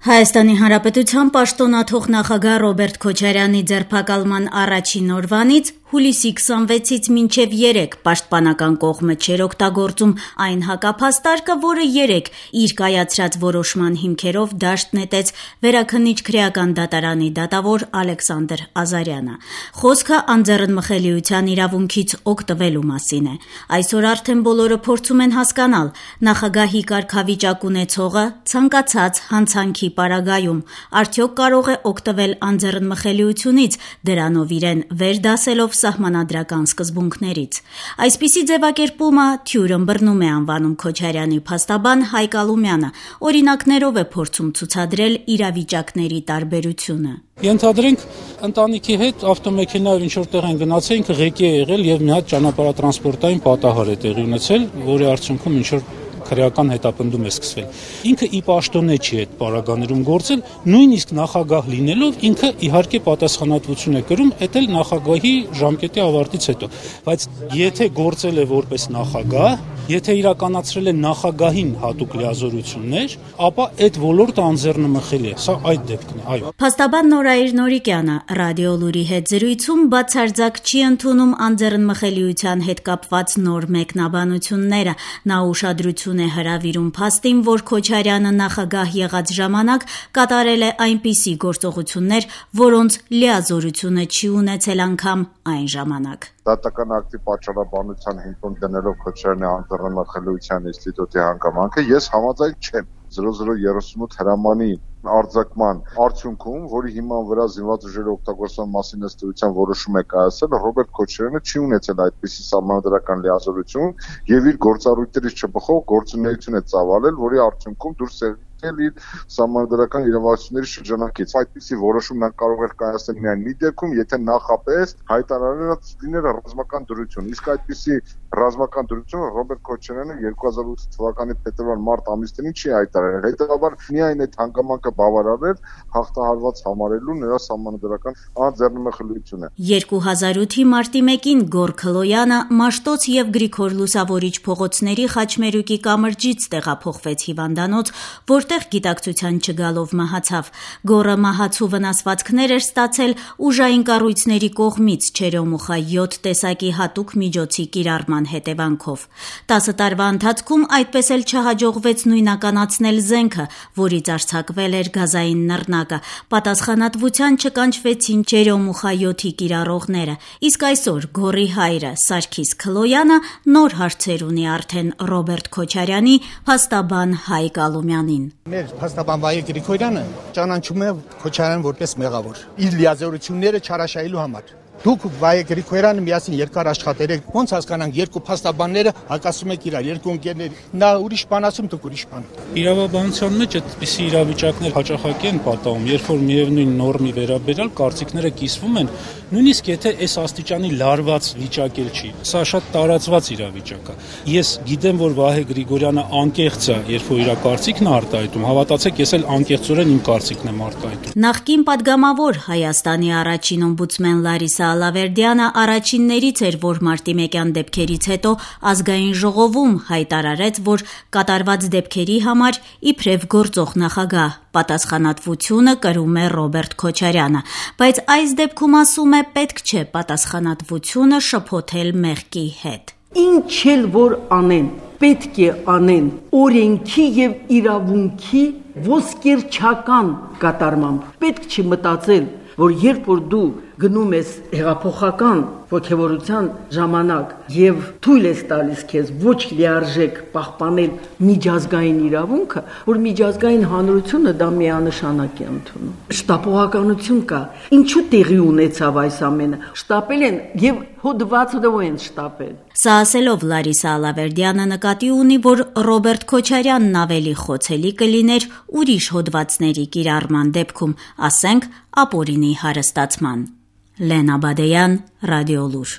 Հայաստանի Հանրապետության պաշտոնաթող նախագահ Ռոբերտ Քոչարյանի ձերբակալման առաջին օրվանից հուլիսի 26-ից մինչև 3 պաշտպանական կողմը չէր օգտագործում այն հակափաստարկը, որը 3 իր կայացրած որոշման հիմքերով դաշտ նետեց Վերաքննիչ քրեական դատարանի դատավոր Ալեքսանդր Ազարյանը։ Խոսքը անձեռնմխելիության իրավունքից օգտվելու մասին է։ Այսօր արդեն բոլորը փորձում են հասկանալ նախագահի կարգավիճակ ունեցողը ցանկացած հանցանքի պարագայում արդյոք կարող է օգտվել անձեռնմխելիությունից, դրանով իրեն վերդասելով սահմանադրական սկզբունքներից։ Այսպիսի ձևակերպումը թյուր ըմբռնում է անվանում Քոչարյանի փաստաբան Հայկ Ալումյանը, օրինակներով է փորձում ցուցադրել իրավիճակների տարբերությունը։ Ենթադրենք ընտանիքի հետ ավտոմեքենայով ինչ-որ տեղ են գնացել, ինքը ղեկի է եղել եւ մի հատ ճանապարհատրանսպորտային պատահար է տեղի ունեցել, որի արդյունքում ինչ-որ քրեական հետապնդում է սկսվել։ Ինքը ի պաշտոնե չի այդ պարագաներում գործել, նույնիսկ նախագահ լինելով ինքը իհարկե պատասխանատվություն է կրում, այդ էլ նախագահի ժամկետի ավարտից հետո։ Բայց եթե գործել է որպես նախագահ, եթե իրականացրել է նախագահին հատուկ լիազորություններ, ապա այդ ոլորտը անձեռնմխելի է։ Սա այդ դեպքն է, այո։ Փաստաբան Նորայր Նորիկյանը Ռադիո Լուրի հետ զրույցում բացարձակ չի ընդունում անձեռնմխելիության հետ կապված նոր մեկնաբանությունները։ Նա ուշադրություն է հրավիրում փաստին, որ Քոչարյանը նախագահ եղած ժամանակ կատարել է այնպիսի գործողություններ, որոնց լիազորությունը չի ունեցել անգամ այն ժամանակ։ Դատական ակտի պատճառաբանության հիմքում դնելով Քոչարյանի անձեռնմխելիության ինստիտուտի հանգամանքը ես համաձայն չեմ 0038 հրամանի արձակման արդյունքում, որի հիման վրա զինված ուժերի օգտագործման մասին ըստեյության որոշում է կայացել, Ռոբերտ Քոչարյանը չի ունեցել այդպիսի սահմանադրական լիազորություն եւ իր գործառույթներից չբխող գործունեություն է ծավալել, որի արդյունքում դուրս է իր սահմանադրական իրավասությունների շրջանակից։ Այդպիսի որոշում նա կարող էր կայացնել միայն մի դեպքում, եթե նախապես հայտարարած լիներ ռազմական դրություն։ Իսկ այդպիսի ռազմական դրություն Ռոբերտ Քոչարյանը 2008 թվականի փետրվար-մարտ ամիսներին չի հայտարարել։ Հետևաբար միայն այդ հանգամանքը բավարար էր հաղթահարված համարելու նրա սահմանադրական անձեռնմխելիությունը։ 2008-ի մարտի 1-ին Գոր Քլոյանը Մաշտոց եւ Գրիգոր Լուսավորիչ փողոցների Խաչմերուկի կամրջից տեղափոխվեց հիվանդանոց, որտեղ գիտակցության չգալով մահացավ։ Գորը մահացու վնասվածքներ էր ստացել ուժային կառույցների կողմից չերոմուխա 7 տեսակի հատուկ միջոցի կիրառման հետևանքով։ 10 տարվա ընթացքում այդպես էլ չհաջողվեց նույնականացնել զենքը, որից արձակվել էր գազային նռնակը։ Պատասխանատվության չկանչվեցին չերոմուխա 7-ի կիրառողները։ Իսկ այսօր Գորի հայրը Սարգիս Քլոյանը նոր հարցեր ունի արդեն Ռոբերտ Քոչարյանի փաստաբան Հայկ Ալումյանին։ Մեր փաստաբան Վայե Գրիգորյանը ճանաչում է Քոչարյանին որպես մեղավոր իր լիազորությունները չարաշահելու համար։ Դուք Վայե Գրիգորյանը միասին երկար աշխատել եք, ոնց հասկանանք երկու փաստաբանները հակասում եք իրար, երկու ընկերներ, նա ուրիշ բան ասում, դուք ուրիշ բան։ Իրավաբանության մեջ այդպիսի իրավիճակներ հաճախակի են պատահում, երբ որ միևնույն նորմի վերաբերյալ կարծիքները կիսվում են, նույնիսկ եթե այս աստիճանի լարված վիճակ էլ չի։ Սա շատ տարածված իրավիճակ է։ Ես գիտեմ, որ Վահե Գրիգորյանը անկեղծ է, երբ որ իր կարծիքն է արտահայտում, հավատացեք, ես էլ անկեղծորեն իմ կարծիքն եմ արտահայտում։ Նախկին падգամավոր Հայաստանի առաջին օմբուդսմեն Լարիսա Ալավերդյանը առաջիններից էր, որ մարտի 1-յան դեպքերից հետո ազգային ժողովում հայտարարեց, որ կատարված դեպքերի համար իբրև գործող նախագահ պատասխանատվությունը կրում է Ռոբերտ Քոչարյանը, բայց այս դեպքում ասում է պետք չէ պատասխանատվությունը շփոթել մեղքի հետ։ Ինչ էլ որ անեն, պետք է անեն օրենքի եւ իրավունքի ոսկերչական կատարմամբ։ Պետք չի մտածել, որ երբ որ դու գնում ես հեղափոխական ոգևորության ժամանակ եւ թույլ ես տալիս քեզ ոչ լիարժեք պահպանել միջազգային իրավունքը, որ միջազգային հանրությունը դա միանշանակ է ընդունում։ Շտապողականություն կա։ Ինչու տեղի ունեցավ այս ամենը։ Շտապել են եւ հոդվածով են շտապել։ Սա ասելով Լարիսա Ալավերդյանը նկատի ունի, որ Ռոբերտ Քոչարյանն ավելի խոցելի կլիներ ուրիշ հոդվածների կիրառման դեպքում, ասենք ապօրինի հարստացման։ Լենա Բադեյան, Ռադիո Լուր։